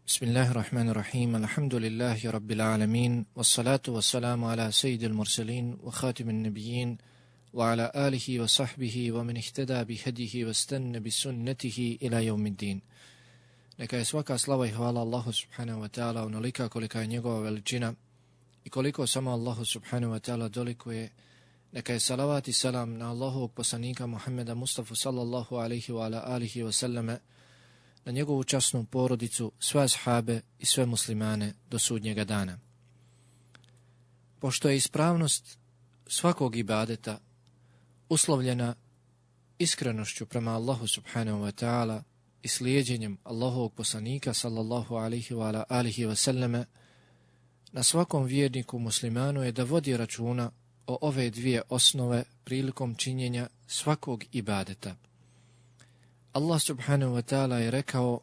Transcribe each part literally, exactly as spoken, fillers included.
Bismillahirrahmanirrahim, alhamdulillahi rabbil alamin, wassalatu wassalamu ala sayyidil mursalin, wa khatimin nabijin, wa ala alihi wa sahbihi, wa min ihtada bi hadihi, wa stanna bi sunnatihi ila yawmiddin. Neka je svaka slava i hvala Allahu subhanahu wa ta'ala onolika kolika je njegova veličina i koliko samo Allahu subhanahu wa ta'ala dolikuje. Neka je salavat i salam na Allahovog poslanika Muhammeda Mustafa sallallahu alaihi wa ala alihi wa sallame, na njegovu časnu porodicu, sve ashabe i sve muslimane do sudnjega dana. Pošto je ispravnost svakog ibadeta uslovljena iskrenošću prema Allahu subhanahu wa ta'ala i slijedjenjem Allahovog poslanika sallallahu alaihi wa ala alihi wa sallame, na svakom vjerniku muslimanu je da vodi računa o ove dvije osnove prilikom činjenja svakog ibadeta. Allah subhanahu wa ta'ala je rekao: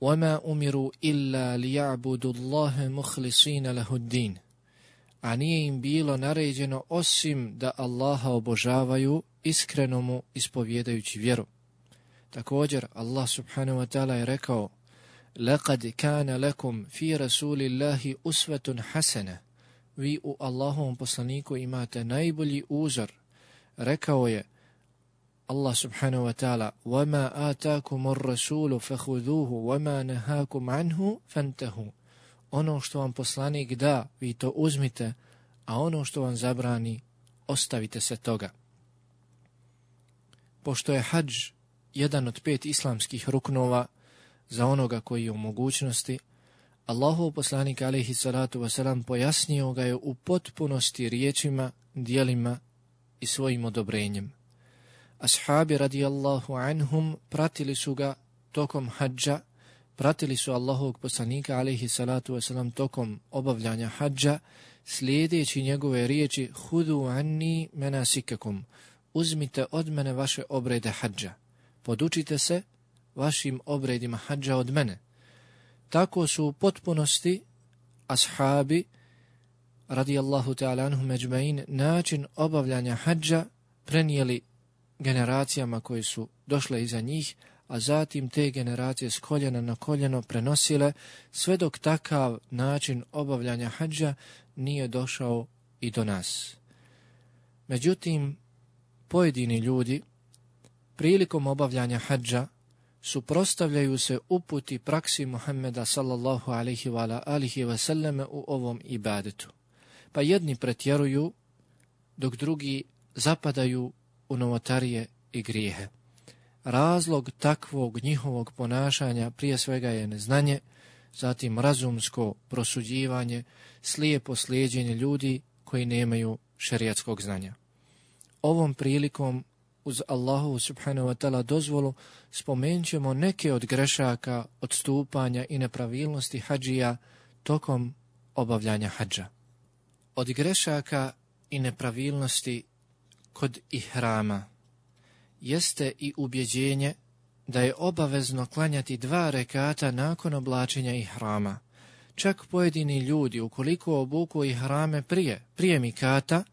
وَمَا أُمِرُوا إِلَّا لِيَعْبُدُوا اللَّهَ مُخْلِصِينَ لَهُ الدِّينَ. A nije im bilo naređeno osim da Allaha obožavaju iskreno mu ispovjedajući vjeru. Također Allah subhanahu wa ta'ala je rekao: لَقَدْ كَانَ لَكُمْ فِي رَسُولِ اللَّهِ أُسْوَةٌ حَسَنَةٌ. Vi u Allahovom poslaniku imate najbolji uzor. Rekao je Allah subhanahu wa ta'ala: وَمَا آتَاكُمُ الرَّسُولُ فَخُذُوهُ وَمَا نَهَاكُمْ عَنْهُ فَانْتَهُوا. Ono što vam poslanik da, vi to uzmite, a ono što vam zabrani, ostavite se toga. Pošto je hadž jedan od pet islamskih ruknova za onoga koji je u mogućnosti, Allahov poslanik alejhi salatu vesselam pojasnio ga je u potpunosti riječima, djelima i svojim odobrenjem. Ashabi radijallahu anhum pratili su ga tokom hadža, pratili su Allahovog poslanika alejhi salatu vesselam tokom obavljanja hadža, slijedeći njegove riječi: Hudu anni menasikakum. Uzmite od mene vaše obrede hadža. Podučite se vašim obredima hadža od mene. Tako su u potpunosti ashabi radijallahu ta'ala anhum ejma'in način obavljanja hadža prenijeli generacijama koje su došle iza njih, a zatim te generacije s koljena na koljeno prenosile, sve dok takav način obavljanja hadža nije došao i do nas. Međutim, pojedini ljudi prilikom obavljanja hadža suprotstavljaju se uputi praksi Muhammeda sallallahu alaihi wa alihi wa sallame u ovom ibadetu. Pa jedni pretjeruju, dok drugi zapadaju u novotarije i grijehe. Razlog takvog njihovog ponašanja prije svega je neznanje, zatim razumsko prosuđivanje, slijepo slijeđenje ljudi koji nemaju šerijatskog znanja. Ovom prilikom, uz Allahu subhanahu wa ta'ala dozvolu, spomenut ćemo neke od grešaka, odstupanja i nepravilnosti hadžija tokom obavljanja hadža. Od grešaka i nepravilnosti kod ihrama jeste i ubjeđenje da je obavezno klanjati dva rekata nakon oblačenja ihrama. Čak pojedini ljudi, ukoliko obuku ihrame prije, prije mikata,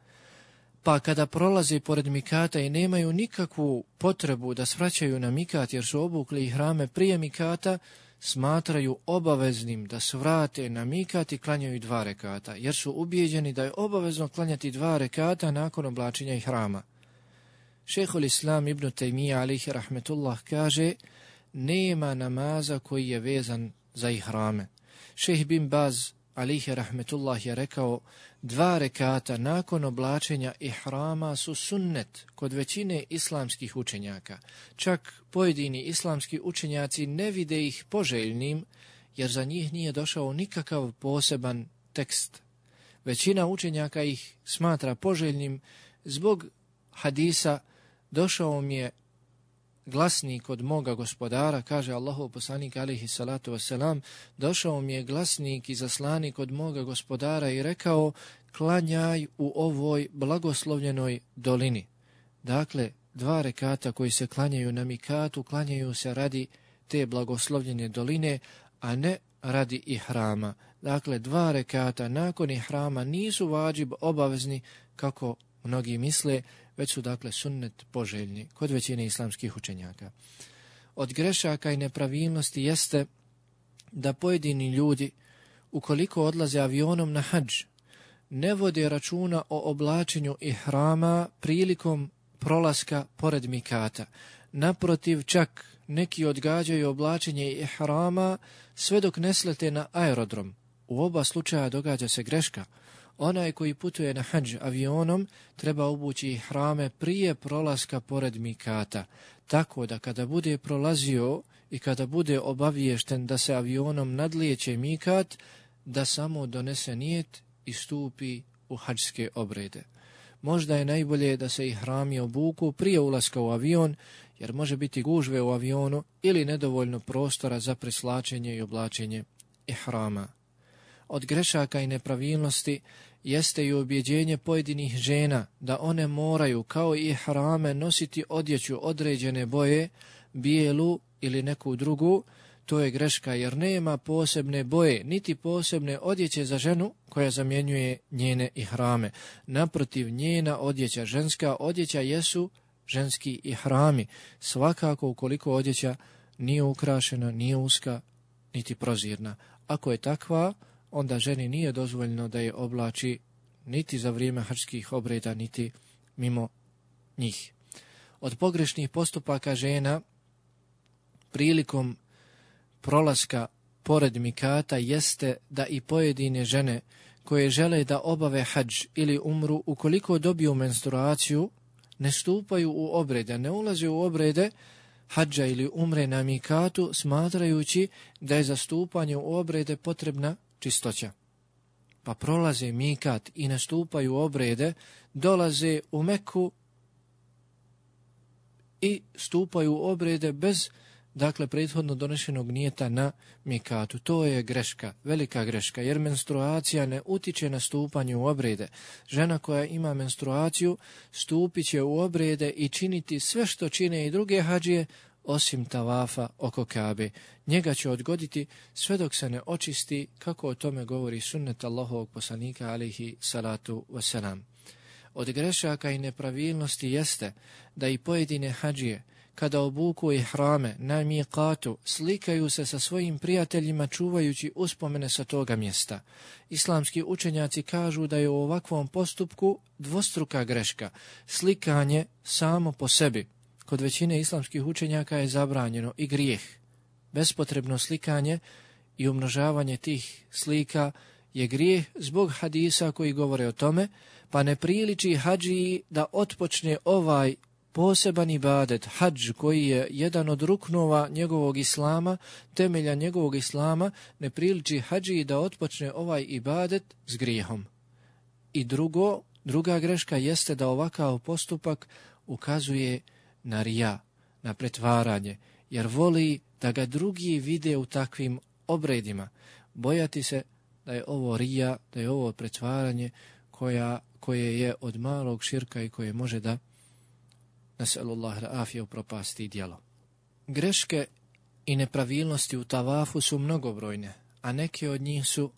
pa kada prolaze pored mikata i nemaju nikakvu potrebu da svraćaju na mikat jer su obukli ihrame prije mikata, smatraju obaveznim da svrate na mikat i klanjaju dva rekata, jer su ubijeđeni da je obavezno klanjati dva rekata nakon oblačenja ihrama. Šejhul Islam ibn Tejmija alejhi rahmetullah kaže: nema namaza koji je vezan za ihrame. Šejh bin Baz alejhi rahmetullah je rekao: dva rekata nakon oblačenja ihrama su sunnet kod većine islamskih učenjaka. Čak pojedini islamski učenjaci ne vide ih poželjnim, jer za njih nije došao nikakav poseban tekst. Većina učenjaka ih smatra poželjnim zbog hadisa: došao mi je glasnik od moga gospodara, kaže Allahov poslanik alejhi salatu vesselam, došao mi je glasnik i zaslanik od moga gospodara i rekao: klanjaj u ovoj blagoslovljenoj dolini. Dakle, dva rekata koji se klanjaju na mikatu, klanjaju se radi te blagoslovljene doline, a ne radi ihrama. Dakle, dva rekata nakon ihrama nisu vađib obavezni, kako mnogi misle, već su dakle sunnet poželjni kod većine islamskih učenjaka. Od grešaka i nepravilnosti jeste da pojedini ljudi, ukoliko odlaze avionom na hadž, ne vode računa o oblačenju ihrama prilikom prolaska pored mikata. Naprotiv, čak neki odgađaju oblačenje ihrama sve dok ne slete na aerodrom. U oba slučaja događa se greška. Onaj koji putuje na hadž avionom treba obući ihrame prije prolaska pored mikata, tako da kada bude prolazio i kada bude obaviješten da se avionom nadlijeće mikat, da samo donese nijet i stupi u hadžske obrede. Možda je najbolje da se ihrami obuku prije ulaska u avion, jer može biti gužve u avionu ili nedovoljno prostora za preslačenje i oblačenje ihrama. Od grešaka i nepravilnosti jeste i ubjeđenje pojedinih žena da one moraju kao i ihrame nositi odjeću određene boje, bijelu ili neku drugu. To je greška jer nema posebne boje, niti posebne odjeće za ženu koja zamjenjuje njene ihrame. Naprotiv, njena odjeća, ženska odjeća jesu ženski ihrami. Svakako ukoliko odjeća nije ukrašena, nije uska, niti prozirna. Ako je takva, onda ženi nije dozvoljeno da je oblači niti za vrijeme hadžskih obreda, niti mimo njih. Od pogrešnih postupaka žena prilikom prolaska pored mikata jeste da i pojedine žene koje žele da obave hadž ili umru, ukoliko dobiju menstruaciju, ne stupaju u obrede, ne ulaze u obrede hadža ili umre na mikatu, smatrajući da je za stupanje u obrede potrebna čistoća. Pa prolaze mikat i nastupaju obrede, dolaze u Meku i stupaju u obrede bez, dakle, prethodno donešenog nijeta na mikatu. To je greška, velika greška, jer menstruacija ne utiče na stupanje u obrede. Žena koja ima menstruaciju stupit će u obrede i činiti sve što čine i druge hadžije, osim tavafa oko Kabe. Njega će odgoditi sve dok se ne očisti, kako o tome govori sunnet Allahovog poslanika alejhi salatu wasalam. Od grešaka i nepravilnosti jeste da i pojedine hadžije, kada obuku ihrame na miqatu, slikaju se sa svojim prijateljima čuvajući uspomene sa toga mjesta. Islamski učenjaci kažu da je u ovakvom postupku dvostruka greška. Slikanje samo po sebi kod većine islamskih učenjaka je zabranjeno i grijeh. Bespotrebno slikanje i umnožavanje tih slika je grijeh zbog hadisa koji govore o tome, pa ne priliči hadžiji da otpočne ovaj poseban ibadet, hadž, koji je jedan od ruknova njegovog islama, temelja njegovog islama, ne priliči hadžiji da otpočne ovaj ibadet s grijehom. I drugo, druga greška jeste da ovakav postupak ukazuje na rija, na pretvaranje, jer voli da ga drugi vide u takvim obredima. Bojati se da je ovo rija, da je ovo pretvaranje koja, koje je od malog širka i koje može da nasallallahu al-afije upropasti djelo. Greške i nepravilnosti u tavafu su mnogobrojne, a neke od njih su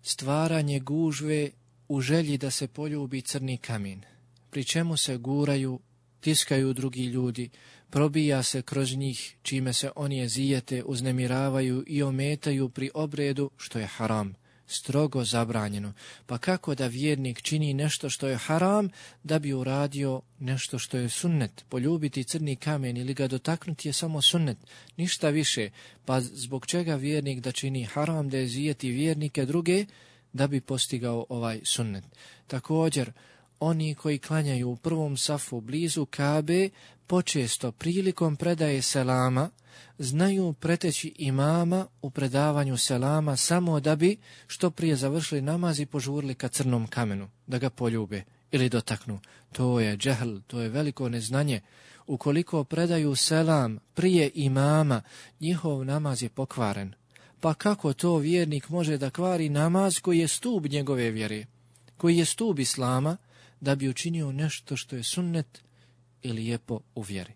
stvaranje gužve u želji da se poljubi crni kamen, pri čemu se guraju, tiskaju drugi ljudi, probija se kroz njih, čime se oni ezijete, uznemiravaju i ometaju pri obredu, što je haram, strogo zabranjeno. Pa kako da vjernik čini nešto što je haram, da bi uradio nešto što je sunnet? Poljubiti crni kamen ili ga dotaknuti je samo sunnet, ništa više. Pa zbog čega vjernik da čini haram, da ezijeti vjernike druge, da bi postigao ovaj sunnet? Također, oni koji klanjaju u prvom safu blizu Kabe, počesto prilikom predaje selama, znaju preteći imama u predavanju selama samo da bi što prije završili namaz i požurili ka crnom kamenu, da ga poljube ili dotaknu. To je džehl, to je veliko neznanje. Ukoliko predaju selam prije imama, njihov namaz je pokvaren. Pa kako to vjernik može da kvari namaz koji je stup njegove vjere, koji je stup islama, da bi učinio nešto što je sunnet i lijepo u vjeri?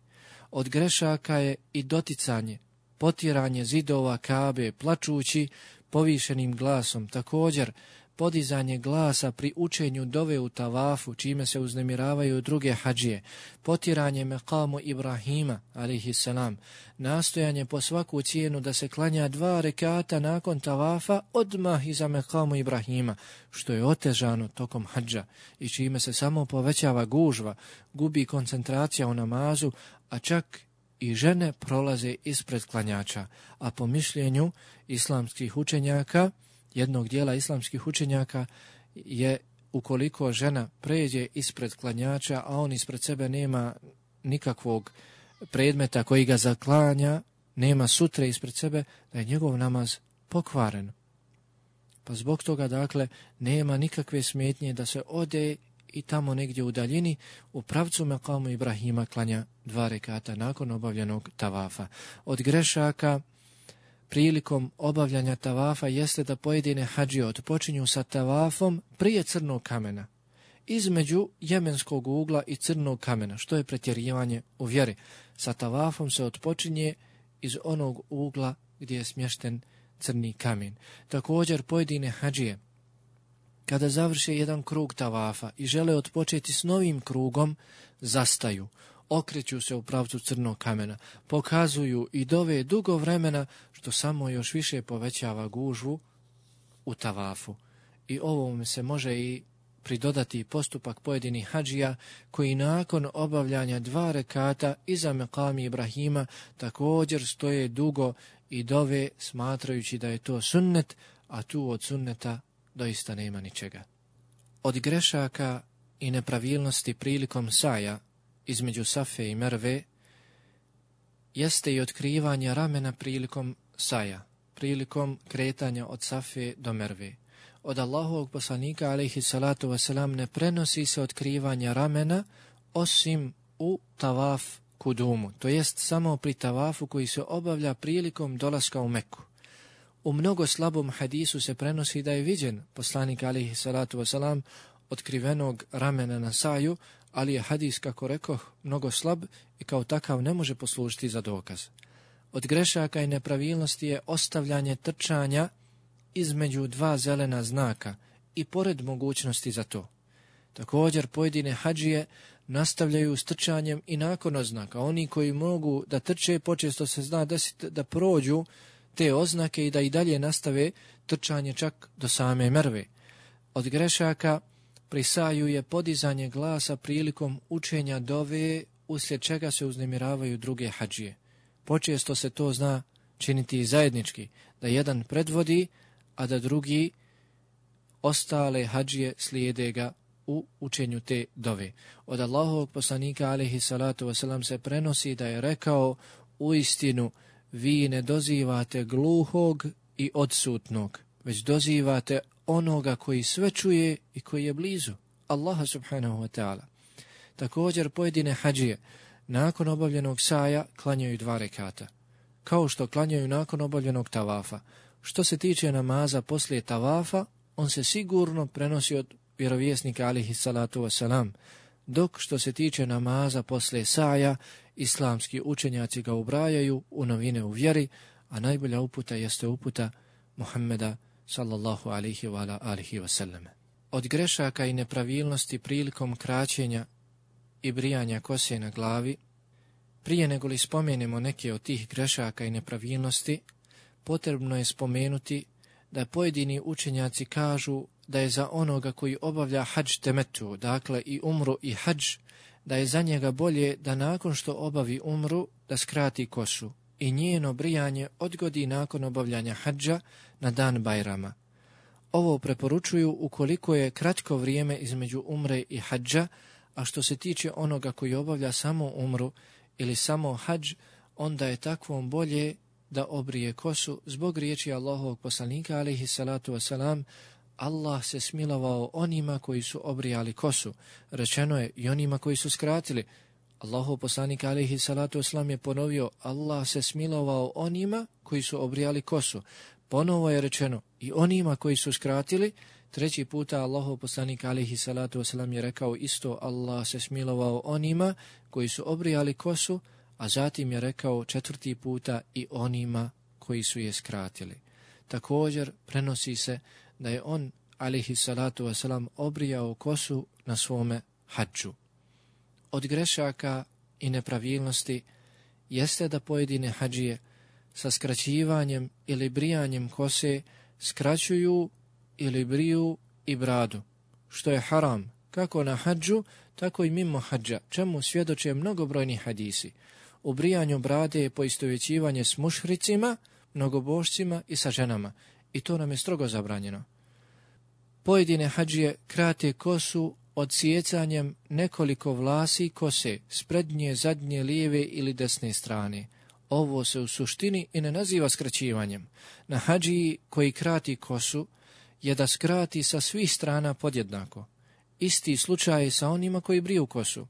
Od grešaka je i doticanje, potiranje zidova Kabe, plačući povišenim glasom. Također, podizanje glasa pri učenju dove u tavafu, čime se uznemiravaju druge hadžije, potiranje mekamu Ibrahima, alejhi selam, nastojanje po svaku cijenu da se klanja dva rekata nakon tavafa odmah iza mekamu Ibrahima, što je otežano tokom hadža i čime se samo povećava gužva, gubi koncentracija u namazu, a čak i žene prolaze ispred klanjača, a po mišljenju islamskih učenjaka, jednog dijela islamskih učenjaka, je ukoliko žena pređe ispred klanjača, a on ispred sebe nema nikakvog predmeta koji ga zaklanja, nema sutre ispred sebe, da je njegov namaz pokvaren. Pa zbog toga, dakle, nema nikakve smetnje da se ode i tamo negdje u daljini u pravcu mekamu Ibrahima klanja dva rekata nakon obavljenog tavafa. Od grešaka prilikom obavljanja tavafa jeste da pojedine hadžije odpočinju sa tavafom prije crnog kamena, između jemenskog ugla i crnog kamena, što je pretjerivanje u vjeri. Sa tavafom se odpočinje iz onog ugla gdje je smješten crni kamen. Također pojedine hadžije, kada završe jedan krug tavafa i žele odpočeti s novim krugom, zastaju, okreću se u pravcu crnog kamena, pokazuju i dove dugo vremena, što samo još više povećava gužvu u tavafu. I ovome se može i pridodati postupak pojedinih hadžija koji nakon obavljanja dva rekata iza mekami Ibrahima također stoje dugo i dove smatrajući da je to sunnet, a tu od sunneta doista nema ničega. Od grešaka i nepravilnosti prilikom saja između Safe i Merve jeste i otkrivanje ramena prilikom saja, prilikom kretanja od Safe do Merve. Od Allahovog poslanika, alejhi salatu wasalam, ne prenosi se otkrivanje ramena osim u tavaf kudumu, to jest samo pri tavafu koji se obavlja prilikom dolaska u Meku. U mnogo slabom hadisu se prenosi da je viđen poslanik, alejhi salatu wasalam, otkrivenog ramena na saju, ali je hadis, kako rekoh, mnogo slab i kao takav ne može poslužiti za dokaz. Od grešaka i nepravilnosti je ostavljanje trčanja između dva zelena znaka i pored mogućnosti za to. Također pojedine hadžije nastavljaju s trčanjem i nakon oznaka. Oni koji mogu da trče, počesto se zna desiti da prođu te oznake i da i dalje nastave trčanje čak do same Merve. Od grešaka pri saju je podizanje glasa prilikom učenja dove, uslijed čega se uznemiravaju druge hadžije. Počesto se to zna činiti i zajednički, da jedan predvodi, a da drugi ostale hadžije slijede ga u učenju te dove. Od Allahovog poslanika, alejhi salatu wasalam, se prenosi da je rekao: uistinu vi ne dozivate gluhog i odsutnog, već dozivate onoga koji sve čuje i koji je blizu, Allaha subhanahu wa ta'ala. Također pojedine hadžije nakon obavljenog saja klanjaju dva rekata, kao što klanjaju nakon obavljenog tavafa. Što se tiče namaza poslije tavafa, on se sigurno prenosi od vjerovjesnika, alejhi salatu wasalam, dok što se tiče namaza poslije saja, islamski učenjaci ga ubrajaju u novine u vjeri, a najbolja uputa jeste uputa Muhammeda sallallahu alaihi wa ala alihi wasallam. Od grešaka i nepravilnosti prilikom kraćenja i brijanja kose na glavi, prije nego li spomenemo neke od tih grešaka i nepravilnosti, potrebno je spomenuti da pojedini učenjaci kažu da je za onoga koji obavlja hadž temetu, dakle i umru i hadž, da je za njega bolje da nakon što obavi umru da skrati kosu i njeno brijanje odgodi nakon obavljanja hadža na dan Bajrama. Ovo preporučuju ukoliko je kratko vrijeme između umre i hadža, a što se tiče onoga koji obavlja samo umru ili samo hadž, onda je takvom bolje da obrije kosu zbog riječi Allahovog poslanika, alejhi salatu wasalam: Allah se smilovao onima koji su obrijali kosu. Rečeno je i onima koji su skratili. Allahov poslanik, alejhi salatu wasalam, je ponovio: Allah se smilovao onima koji su obrijali kosu. Ponovo je rečeno i onima koji su skratili. Treći puta Allahov poslanik, alejhi salatu wasalam, je rekao isto: Allah se smilovao onima koji su obrijali kosu, a zatim je rekao četvrti puta i onima koji su je skratili. Također prenosi se da je on, alejhi salatu wasalam, obrijao kosu na svome hadžu. Od grešaka i nepravilnosti jeste da pojedine hadžije sa skraćivanjem ili brijanjem kose skraćuju ili briju i bradu, što je haram, kako na hadžu, tako i mimo hadža, čemu svjedoče mnogobrojni hadisi. U brijanju brade je poistovjećivanje s mušricima, mnogobožcima i sa ženama, i to nam je strogo zabranjeno. Pojedine hadžije krate kosu odsjecanjem nekoliko vlasi kose s prednje, zadnje, lijeve ili desne strane. Ovo se u suštini i ne naziva skraćivanjem. Na hadžiji koji krati kosu je da skrati sa svih strana podjednako. Isti slučaj je sa onima koji briju kosu.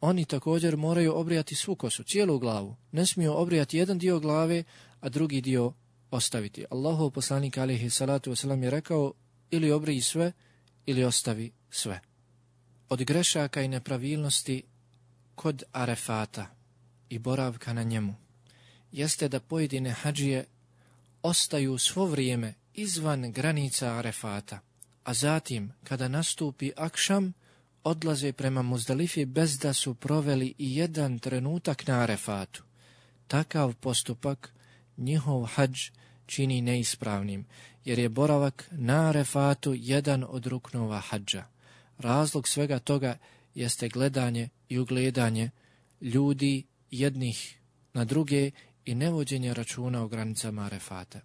Oni također moraju obrijati svu kosu, cijelu glavu. Ne smiju obrijati jedan dio glave, a drugi dio ostaviti. Allahov poslanik alejhi salatu wasalam je rekao, ili obriji sve, ili ostavi sve. Od grešaka i nepravilnosti kod Arefata i boravka na njemu jeste da pojedine hadžije ostaju svo vrijeme izvan granica Arefata, a zatim, kada nastupi akšam, odlaze prema Muzdalifi bez da su proveli i jedan trenutak na Arefatu. Takav postupak njihov hadž čini neispravnim, jer je boravak na Arefatu jedan od ruknova hadža. Razlog svega toga jeste gledanje i ugledanje ljudi jednih na druge i nevođenje računa o granicama Arefata.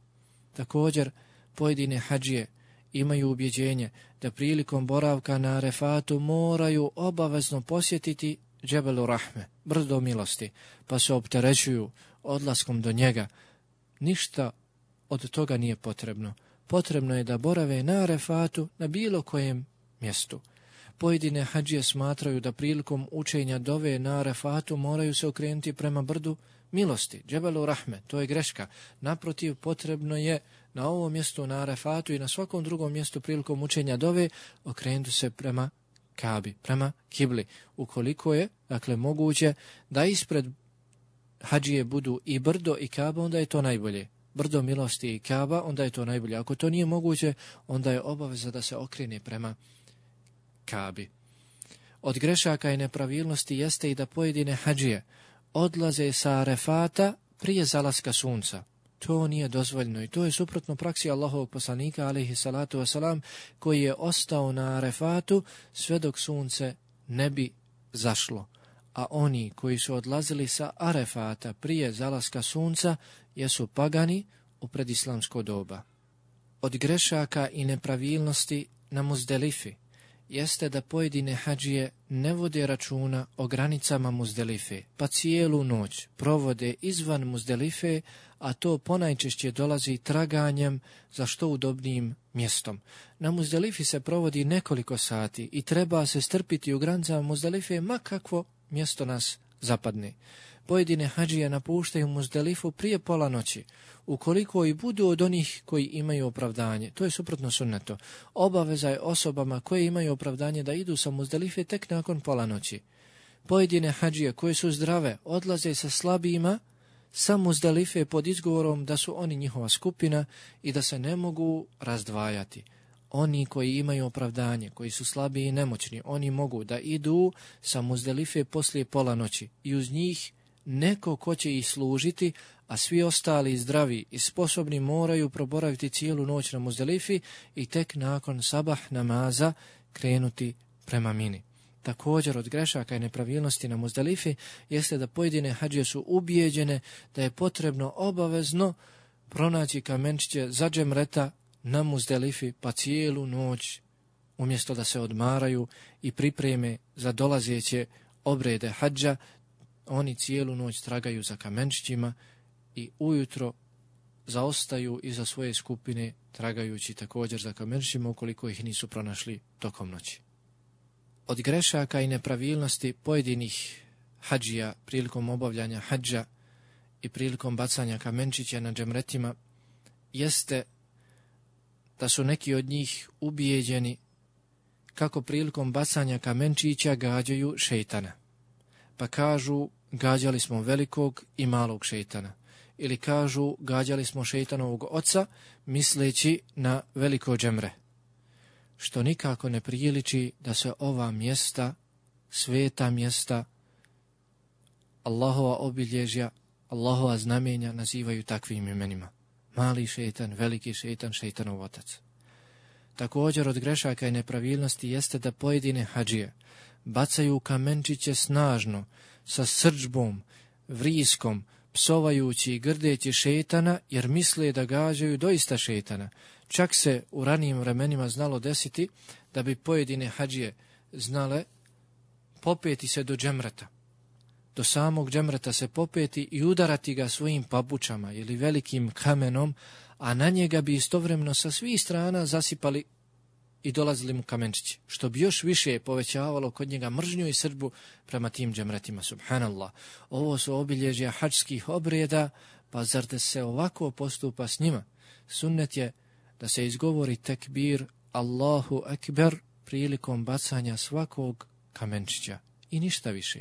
Također, pojedine hadžije imaju ubjeđenje da prilikom boravka na Arefatu moraju obavezno posjetiti Džebelu Rahme, brdo milosti, pa se opterećuju odlaskom do njega. Ništa od toga nije potrebno. Potrebno je da borave na Arefatu na bilo kojem mjestu. Pojedine hadžije smatraju da prilikom učenja dove na Arefatu moraju se okrenuti prema brdu milosti, Džebelu Rahme. To je greška. Naprotiv, potrebno je na ovom mjestu na Arefatu i na svakom drugom mjestu prilikom učenja dove okrenuti se prema Kabi, prema kibli. Ukoliko je, dakle, moguće da ispred hadžije budu i brdo i Kaba, onda je to najbolje. Brdo milosti i Kaba, onda je to najbolje. Ako to nije moguće, onda je obaveza da se okrene prema Kabi. Od grešaka i nepravilnosti jeste i da pojedine hadžije odlaze sa Arefata prije zalaska sunca. To nije dozvoljeno i to je suprotno praksi Allahovog poslanika alejhi salatu wasalam, koji je ostao na Arefatu sve dok sunce ne bi zašlo. A oni koji su odlazili sa Arefata prije zalaska sunca jesu pagani u predislamsko doba. Od grešaka i nepravilnosti na Muzdelifi jeste da pojedine hadžije ne vode računa o granicama Muzdelife, pa cijelu noć provode izvan Muzdelife, a to ponajčešće dolazi traganjem za što udobnijim mjestom. Na Muzdelifi se provodi nekoliko sati i treba se strpiti u granicama Muzdelife ma kakvo mjesto nas zapadne. Pojedine hadžije napuštaju Muzdelifu prije pola noći, ukoliko i budu od onih koji imaju opravdanje. To je suprotno sunnetu. Obaveza je osobama koje imaju opravdanje da idu sa Muzdelife tek nakon pola noći. Pojedine hadžije koje su zdrave odlaze sa slabijima sa Muzdelife pod izgovorom da su oni njihova skupina i da se ne mogu razdvajati. Oni koji imaju opravdanje, koji su slabiji i nemoćni, oni mogu da idu sa Muzdelife poslije pola noći i uz njih neko ko će ih služiti, a svi ostali zdravi i sposobni moraju proboraviti cijelu noć na Muzdelifi i tek nakon sabah namaza krenuti prema Mini. Također od grešaka i nepravilnosti na Muzdelifi jeste da pojedine hadžije su ubijeđene da je potrebno obavezno pronaći kamenčiće za džemreta na Muzdelifi, pa cijelu noć umjesto da se odmaraju i pripreme za dolazeće obrede hadža, oni cijelu noć tragaju za kamenčićima i ujutro zaostaju iza svoje skupine tragajući također za kamenčićima ukoliko ih nisu pronašli tokom noći. Od grešaka i nepravilnosti pojedinih hadžija prilikom obavljanja hadža i prilikom bacanja kamenčića na džemretima jeste da su neki od njih ubijeđeni kako prilikom bacanja kamenčića gađaju šejtana. Pa kažu gađali smo velikog i malog šejtana. Ili kažu gađali smo šejtanovog oca misleći na veliko džemre. što nikako ne priliči da se ova mjesta, sveta mjesta, Allahova obilježja, Allahova znamenja nazivaju takvim imenima. Mali šeitan, veliki šeitan, šeitanov otac. Također od grešaka i nepravilnosti jeste da pojedine hadžije bacaju kamenčiće snažno, sa srdžbom, vriskom, psovajući i grdeći šeitana, jer misle da gađaju doista šeitana. Čak se u ranijim vremenima znalo desiti da bi pojedine hadžije znale popeti se do džemreta. Do samog džemreta se popeti i udarati ga svojim pabučama ili velikim kamenom, a na njega bi istovremeno sa svih strana zasipali i dolazili mu kamenčići, što bi još više povećavalo kod njega mržnju i srdbu prema tim džemretima. Subhanallah, ovo su obilježja hadžskih obreda, pa zar da se ovako postupa s njima? Sunnet je da se izgovori tekbir Allahu ekber prilikom bacanja svakog kamenčića i ništa više.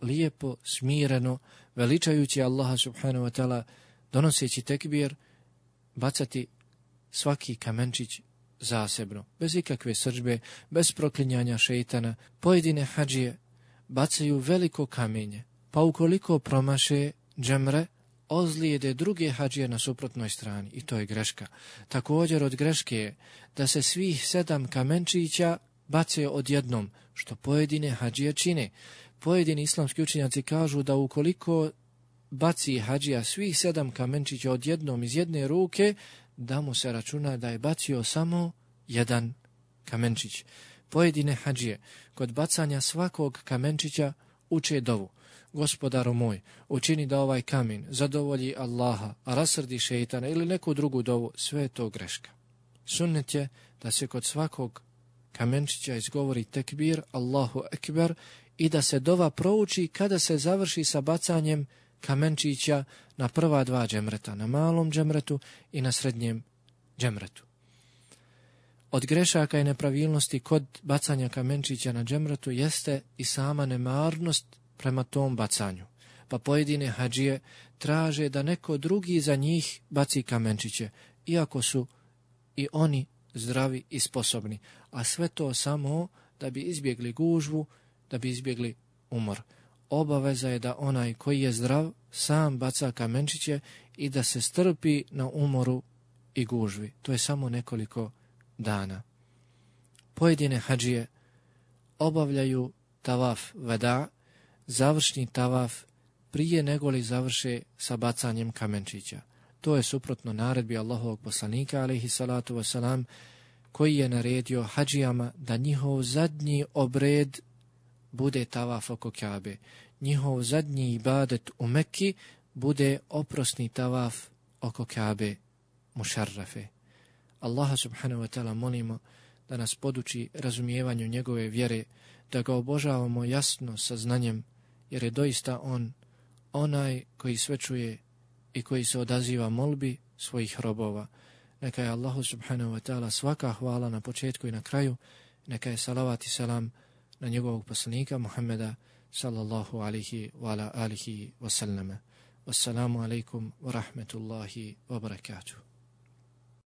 Lijepo, smireno, veličajući Allaha subhanahu wa ta'ala, donoseći tekbir, bacati svaki kamenčić zasebno, bez ikakve srdžbe, bez proklinjanja šeitana. Pojedine hadžije bacaju veliko kamenje, pa ukoliko promaše džemre, ozlijede druge hadžije na suprotnoj strani, i to je greška. Također od greške je da se svih sedam kamenčića bace odjednom, što pojedine hadžije čine. Pojedini islamski učenjaci kažu da ukoliko baci hadžija svih sedam kamenčića odjednom iz jedne ruke, da mu se računa da je bacio samo jedan kamenčić. Pojedine hadžije kod bacanja svakog kamenčića uče dovu: Gospodaru moj, učini da ovaj kamen zadovolji Allaha, a rasrdi šeitana, ili neku drugu dovu. Sve je to greška. Sunnet je da se kod svakog kamenčića izgovori tekbir Allahu ekber i da se dova prouči kada se završi sa bacanjem kamenčića na prva dva džemreta, na malom džemretu i na srednjem džemretu. Od grešaka i nepravilnosti kod bacanja kamenčića na džemretu jeste i sama nemarnost prema tom bacanju. Pa pojedine hadžije traže da neko drugi za njih baci kamenčiće, iako su i oni zdravi i sposobni, a sve to samo da bi izbjegli gužvu, da bi izbjegli umor. Obaveza je da onaj koji je zdrav sam baca kamenčiće i da se strpi na umoru i gužvi. To je samo nekoliko dana. Pojedine hadžije obavljaju tavaf veda, završni tavaf, prije nego li završe sa bacanjem kamenčića. To je suprotno naredbi Allahovog poslanika, alejhi salatu vesselam, koji je naredio hadžijama da njihov zadnji obred bude tavaf oko Kabe. Njihov zadnji ibadet u Mekki bude oprosni tavaf oko Kabe mušarrafe. Allaha subhanahu wa ta'ala molimo da nas poduči razumijevanju njegove vjere, da ga obožavamo jasno sa znanjem, jer je doista on onaj koji sve čuje i koji se odaziva molbi svojih robova. Neka je Allahu subhanahu wa ta'ala svaka hvala na početku i na kraju. Neka je salavat i selam na njegovog poslanika Muhammeda sallallahu alihi wa ala alihi wa sallama. Wassalamu alaikum wa rahmetullahi wa barakatuh.